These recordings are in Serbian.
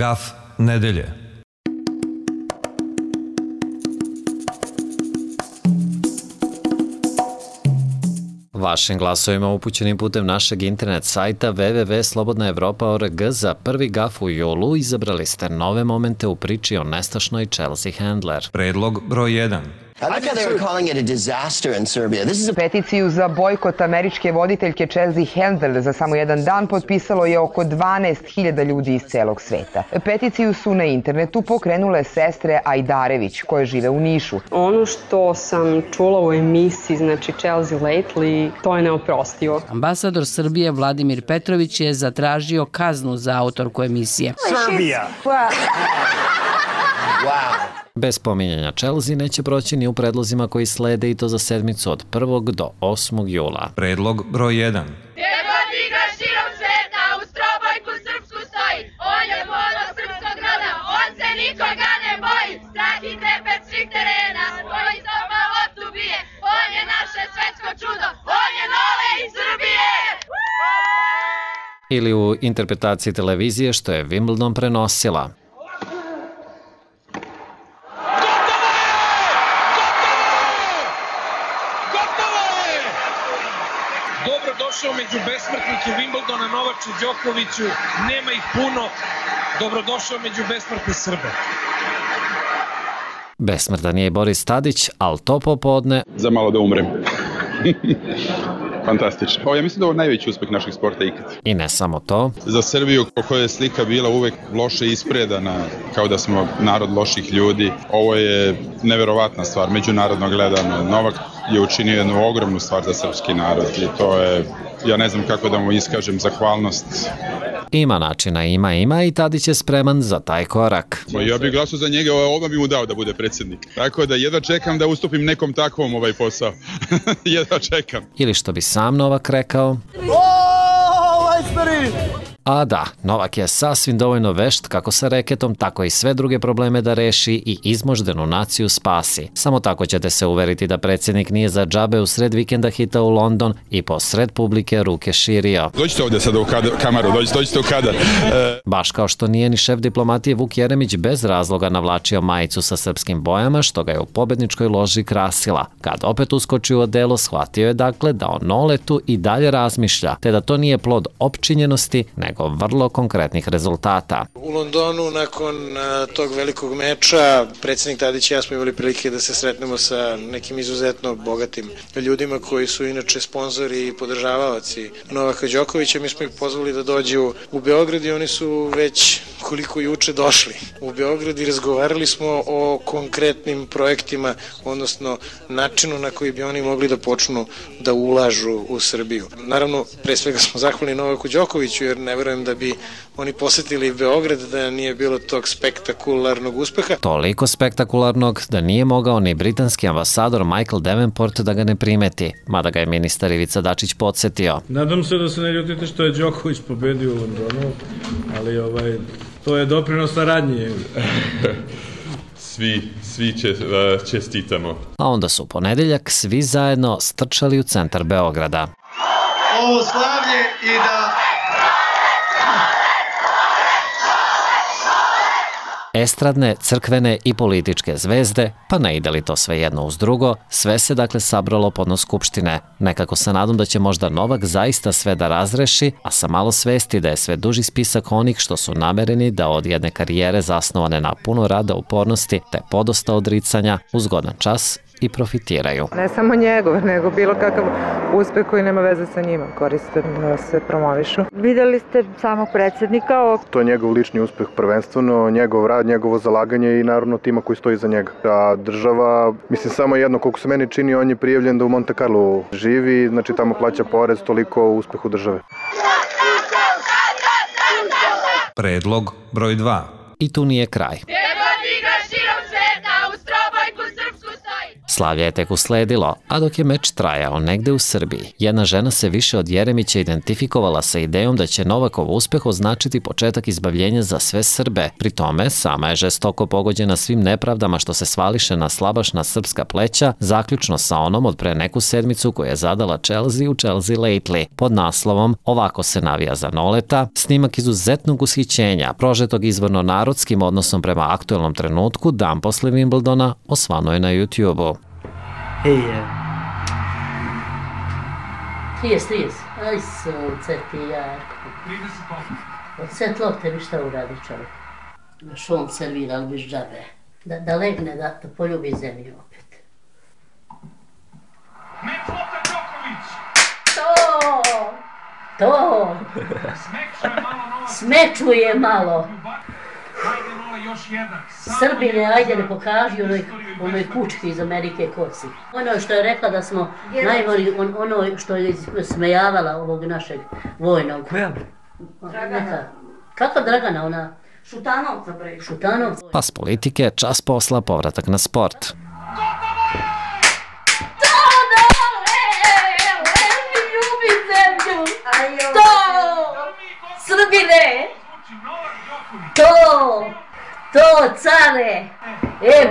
Gaf nedelje. Vašim glasovima upućenim putem našeg internet sajta www.slobodnaevropa.org za prvi gaf u julu izabrali ste nove momente u priči o nestašnoj Chelsea Handler. Predlog broj 1. I like how they were calling it a disaster in Serbia. This is a Peticiju za bojkot američke voditeljke Chelsea Handler za samo jedan dan potpisalo je oko 12.000 ljudi iz celog sveta. Peticiju su na internetu pokrenule sestre Ajdarević koje žive u Nišu. Ono što sam čula u emisiji, znači Chelsea Lately, to je neoprostivo. Ambasador Srbije Vladimir Petrović je zatražio kaznu za autorku emisije. Srbija! wow. Bez pominjanja Chelsea neće proći ni u predlozima koji slede i to za sedmicu od 1. do 8. jula. Predlog broj 1. Gdje god igraš širom sveta, uz trobojku srpsku stoji. On je ponos srpskog roda, on se nikoga ne boji. Strah i trepet svih terena, koji stopa loptu bije. On je naše svetsko čudo, on je Nole iz Srbije! Ili u interpretaciji televizije što je Wimbledon prenosila. Dobrodošao među besmrtnike Wimbledona, Novaču, Đokoviću, nema ih puno, dobrodošao među besmrtne Srbe. Besmrtan je i Boris Tadić, ali to popodne... Za malo da umrem. Fantastično. Ja mislim da je ovo najveći uspeh naših sporta ikad. I ne samo to. Za Srbiju, po kojoj je slika bila uvek loše ispredana, kao da smo narod loših ljudi, ovo je neverovatna stvar, međunarodno gledano. Novak je učinio jednu ogromnu stvar za srpski narod i to je, ja ne znam kako da mu iskažem zahvalnost. Ima načina, ima i Tadić je spreman za taj korak. Ja bih glasao za njega, odmah bi mu dao da bude predsjednik. Tako da jedva čekam da ustupim nekom takvom ovaj posao. Jedva čekam. Ili što bi sam Novak rekao... A da, Novak je sasvim dovoljno vešt kako sa reketom, tako i sve druge probleme da reši i izmoždenu naciju spasi. Samo tako ćete se uveriti da predsjednik nije za džabe u sred vikenda hitao u London i po sred publike ruke širio. Dođite ovdje sada u kameru, dođite u kadar. Baš kao što nije ni šef diplomatije Vuk Jeremić bez razloga navlačio majicu sa srpskim bojama, što ga je u pobedničkoj loži krasila. Kad opet uskoči u odelo, shvatio je dakle da o Noletu i dalje razmišlja, te da to nije plod opčinjenosti, nego vrlo konkretnih rezultata. U Londonu nakon tog velikog meča predsjednik Tadić i ja smo imali prilike da se sretnemo sa nekim izuzetno bogatim ljudima koji su inače sponzori i podržavaoci Novaka Đokovića. Mi smo ih pozvali da dođu u Beograd i oni su već koliko juče došli u Beograd i razgovarali smo o konkretnim projektima, odnosno načinu na koji bi oni mogli da počnu da ulažu u Srbiju. Naravno, pre svega smo zahvalni Novaku Đokoviću jer ne verujem da bi oni posetili Beograd da nije bilo tog spektakularnog uspeha. Toliko spektakularnog da nije mogao ni britanski ambasador Michael Davenport da ga ne primeti, mada ga je ministar Ivica Dačić podsjetio. Nadam se da se ne ljutite što je Đoković pobedio u Londonu, ali to je doprinos saradnje. Svi čestitamo. A onda su u ponedeljak svi zajedno strčali u centar Beograda. Ovo slavlje i da... Estradne, crkvene i političke zvezde, pa ne ide li to sve jedno uz drugo, sve se dakle sabralo podno Skupštine. Nekako se nadam da će možda Novak zaista sve da razreši, a sa malo svesti da je sve duži spisak onih što su namereni da od jedne karijere zasnovane na puno rada, upornosti te podosta odricanja u zgodan čas i profitiraju. Ne samo njegov, nego bilo kakav uspeh koji nema veze sa njima, koriste da se promovišu. Videli ste samog predsjednika. To je njegov lični uspeh prvenstveno, njegov rad, njegovo zalaganje i naravno tima koji stoji za njega. A država, mislim samo jedno, koliko se meni čini, on je prijavljen da u Monte Carlo živi, znači tamo plaća porez, toliko uspehu države. Predlog broj 2. I tu nije kraj. Slavlje je tek usledilo, a dok je meč trajao negde u Srbiji, jedna žena se više od Jeremića identifikovala sa idejom da će Novakov uspeh označiti početak izbavljenja za sve Srbe. Pri tome, sama je žestoko pogođena svim nepravdama što se svališe na slabašna srpska pleća, zaključno sa onom od pre neku sedmicu koju je zadala Chelsea u Chelsea Lately. Pod naslovom "Ovako se navija za Noleta", snimak izuzetnog ushićenja, prožetog izvorno narodskim odnosom prema aktuelnom trenutku, dan posle Wimbledona, osvano je na YouTube-u. Jes. Aj sunce ti jako. Od set lopte bi šta uradi čovjek. Naš on servira, ali biš džabe. Da legne, da poljubi zemlju opet. Meč lopta Đoković! To! Smečuje malo. Ajde Nola, još jedan. Srbine, ajde ne pokaži onoj kučki iz Amerike koci. Ono što je rekla da smo najbolji, ono što je smejavala ovog našeg vojnog. Koja? Dragana. Kako Dragana, ona? Šutanovca. Pa s politike, čas posla, povratak na sport. Srbine! To, care!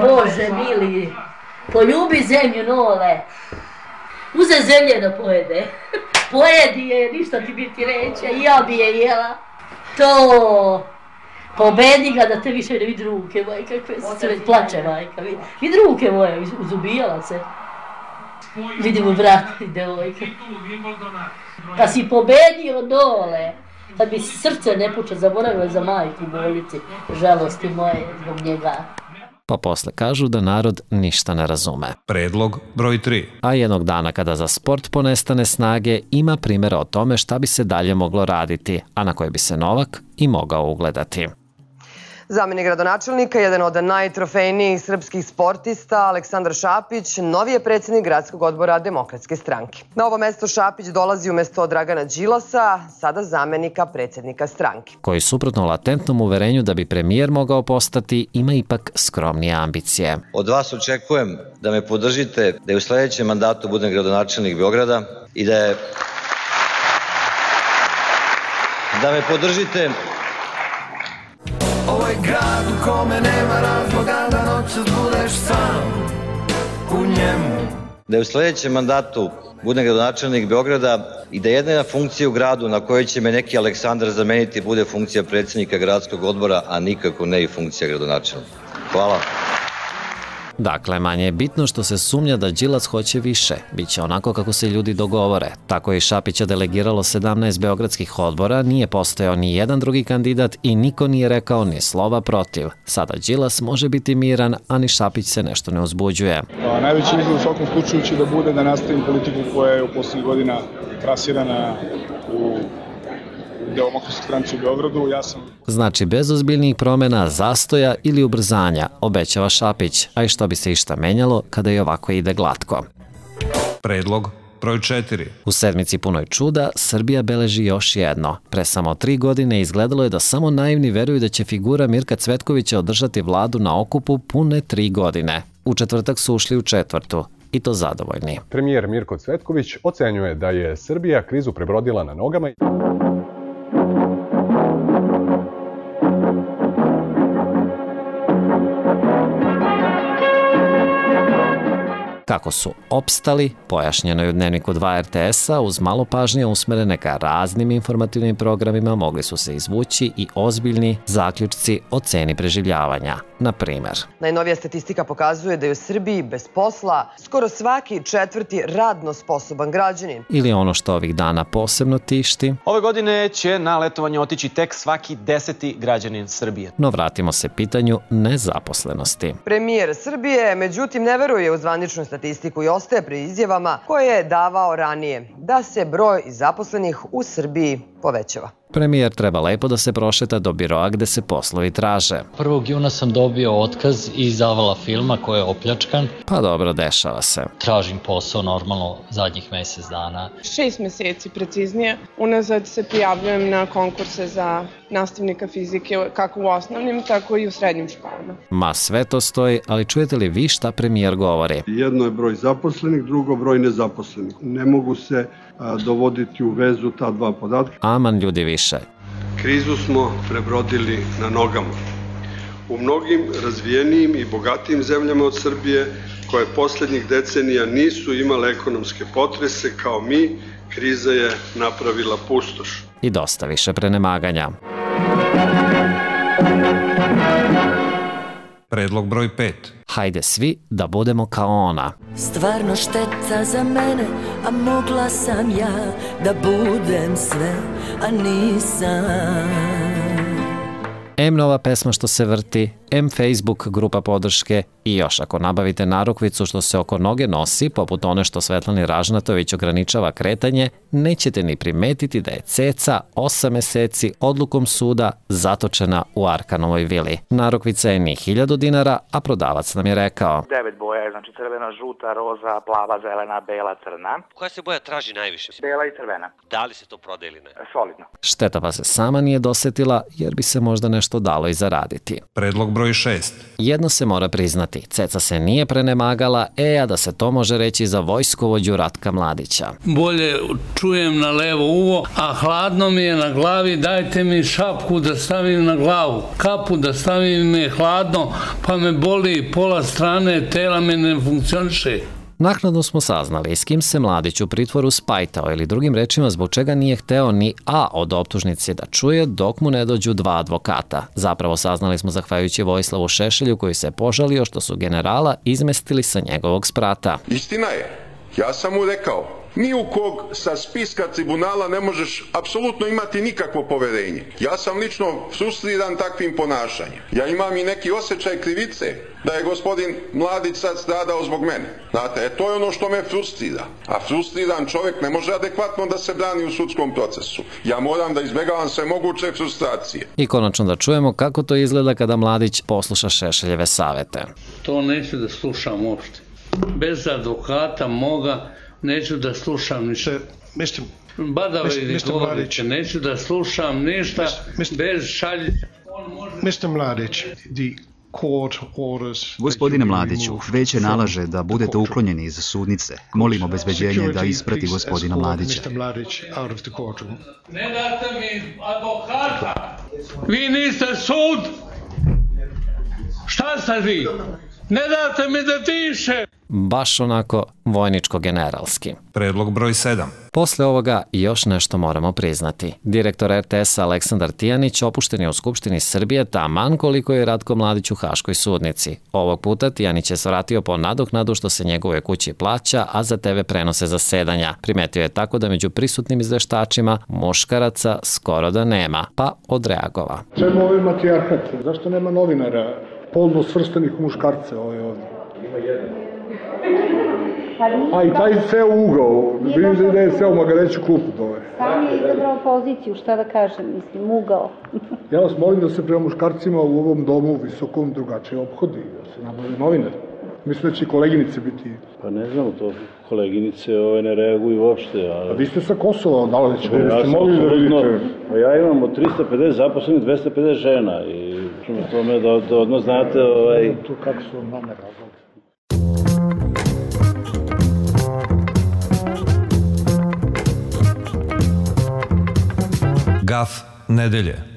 Bože mili! Poljubi zemlju, Nole! Uze zemlje da pojede. Pojedi je, ništa ti biti reće, ja bi je jela. To! Pobedi ga da te više ne vidi ruke, majka, se već plače, majka. Vidi ruke moje, uzubijala se. Vidi mu brat i devojka. Da si pobedio, Nole! Kad bi srce ne puče, zaboravila za majku u bolnici, žalosti moje zbog njega. Pa posle kažu da narod ništa ne razume. Predlog broj 3. A jednog dana kada za sport ponestane snage, ima primjera o tome šta bi se dalje moglo raditi, a na koje bi se Novak i mogao ugledati. Zamenik gradonačelnika, jedan od najtrofejnijih srpskih sportista, Aleksandar Šapić, novi je predsjednik gradskog odbora Demokratske stranke. Na ovo mesto Šapić dolazi umjesto Dragana Đilasa, sada zamenika predsjednika stranke. Koji suprotno latentnom uverenju da bi premijer mogao postati, ima ipak skromnije ambicije. Od vas očekujem da me podržite, da je u sljedećem mandatu budem gradonačelnik Beograda i da me podržite. Ovo je grad u kome nema razloga da noćas budeš sam u njemu. Da je u sljedećem mandatu budem gradonačelnik Beograda i da jedina funkcija u gradu na kojoj će me neki Aleksandar zameniti bude funkcija predsjednika gradskog odbora, a nikako ne i funkcija gradonačelnika. Hvala. Dakle, manje je bitno što se sumnja da Đilas hoće više. Biće onako kako se ljudi dogovore. Tako je Šapića delegiralo 17 beogradskih odbora, nije postojao ni jedan drugi kandidat i niko nije rekao ni slova protiv. Sada Đilas može biti miran, a ni Šapić se nešto ne uzbuđuje. Najveći izgled u svakom slučaju će da bude da nastavim politiku koja je u poslednjih godina trasirana u Demokratskoj stranci u Beogradu. Znači, bez ozbiljnijih promjena, zastoja ili ubrzanja, obećava Šapić, a i što bi se išta menjalo kada i ovako ide glatko. Predlog broj 4. U sedmici punoj čuda, Srbija beleži još jedno. Pre samo 3 godine izgledalo je da samo naivni veruju da će figura Mirka Cvetkovića održati vladu na okupu pune 3 godine. U četvrtak su ušli u četvrtu. I to zadovoljni. Premijer Mirko Cvetković ocenjuje da je Srbija krizu prebrodila na nogama. Kako su opstali, pojašnjeno je u Dnevniku 2 RTS-a, uz malo pažnje usmerene ka raznim informativnim programima mogli su se izvući i ozbiljni zaključci o ceni preživljavanja. Na primer, najnovija statistika pokazuje da je u Srbiji bez posla skoro svaki 4. radno sposoban građanin. Ili ono što ovih dana posebno tišti. Ove godine će na letovanje otići tek svaki 10. građanin Srbije. No vratimo se pitanju nezaposlenosti. Premijer Srbije, međutim, ne veruje u zvaničnu statistiku i ostaje pri izjavama koje je davao ranije, da se broj zaposlenih u Srbiji povećava. Premijer treba lepo da se prošeta do biroa gde se poslovi traže. 1. juna sam dobio otkaz iz Avala filma koji je opljačkan. Pa dobro, dešava se. Tražim posao normalno zadnjih mesec dana. 6 meseci preciznije. Unazad se prijavljujem na konkurse za nastavnika fizike kako u osnovnim, tako i u srednjim školama. Ma sve to stoji, ali čujete li vi šta premijer govori? Jedno je broj zaposlenih, drugo broj nezaposlenih. Ne mogu se dovoditi u vezu ta dva podatka. Aman ljudi više. Krizu smo prebrodili na nogama. U mnogim razvijenijim i bogatijim zemljama od Srbije, koje poslednjih decenija nisu imale ekonomske potrese kao mi, kriza je napravila pustoš. I dosta više prenemaganja. Predlog broj 5. Hajde svi da budemo kao ona. Stvarno šteta za mene, a mogla sam ja da budem sve, a nisam. M nova pesma što se vrti, M Facebook grupa podrške i još ako nabavite narukvicu što se oko noge nosi, poput one što Svetlani Ražnatović ograničava kretanje, nećete ni primetiti da je ceca 8 meseci odlukom suda zatočena u Arkanovoj vili. Narukvica je ni 1000 dinara, a prodavac nam je rekao: 9 boja je, znači crvena, žuta, roza, plava, zelena, bela, crna. Koja se boja traži najviše? Bela i crvena. Da li se to prodaje ili ne? Solidno. Šteta pa se sama nije dosetila, jer bi se možda nešto dalo i zaraditi. Predlog broj 6. Jedno se mora priznati, ceca se nije prenemagala, a da se to može reći za vojskovođu Ratka Mladića. Bolje čujem na levo uvo, a hladno mi je na glavi, dajte mi šapku da stavim na glavu. Kapu da stavim mi je hladno, pa me boli pola strane, tela me ne funkcioniše. Naknadno smo saznali s kim se Mladić u pritvoru spajtao ili drugim rečima zbog čega nije hteo ni A od optužnice da čuje dok mu ne dođu 2 advokata. Zapravo saznali smo zahvaljujući Vojislavu Šešelju koji se požalio što su generala izmestili sa njegovog sprata. Istina je, ja sam mu rekao, ni u kog sa spiska tribunala ne možeš apsolutno imati nikakvo poverenje. Ja sam lično frustriran takvim ponašanjem. Ja imam i neki osjećaj krivice da je gospodin Mladić sad stradao zbog mene. Znate, to je ono što me frustrira. A frustriran čovjek ne može adekvatno da se brani u sudskom procesu. Ja moram da izbegavam sve moguće frustracije. I konačno da čujemo kako to izgleda kada Mladić posluša Šešeljeve savete. To neću da slušam uopšte. Bez advokata moga neću da slušam ništa. Badave ili govorite, neću da slušam ništa bez šaljića. Mr. Mladić, Gospodine Mladiću, veće nalaže da budete uklonjeni iz sudnice. Molim obezbeđenje da isprati gospodina Mladića. Ne date mi advokata! Vi niste sud! Šta ste vi? Ne date mi da diše! Baš onako vojničko-generalski. Predlog broj 7. Posle ovoga još nešto moramo priznati. Direktor RTS-a Aleksandar Tijanić opušten je u Skupštini Srbije taman koliko je Ratko Mladić u Haškoj sudnici. Ovog puta Tijanić je svratio po nadoknadu što se njegove kući plaća, a za TV prenose zasedanja. Primetio je tako da među prisutnim izveštačima muškaraca skoro da nema, pa odreagova. Čemu ovaj matrijarhat? Zašto nema novinara polno svrstanih u muškarce ovdje? Ima jedan. A i taj seo ugao, vidim da je seo magareću klupu dole. Sam je izabrao poziciju, šta da kažem, mislim, ugao. Ja vas molim da se prema muškarcima u ovom domu visokom drugačije obhodi, da se nabave novinar. Mislim da će i koleginice biti... Pa ne znam, to koleginice ne reaguju uopšte. A vi ste sa Kosova, da li ste mogli da vidite? Pa ja imam od 350 zaposlenih 250 žena i tome da odmah znate... Kako su vam mame razlog? Gaf nedelje.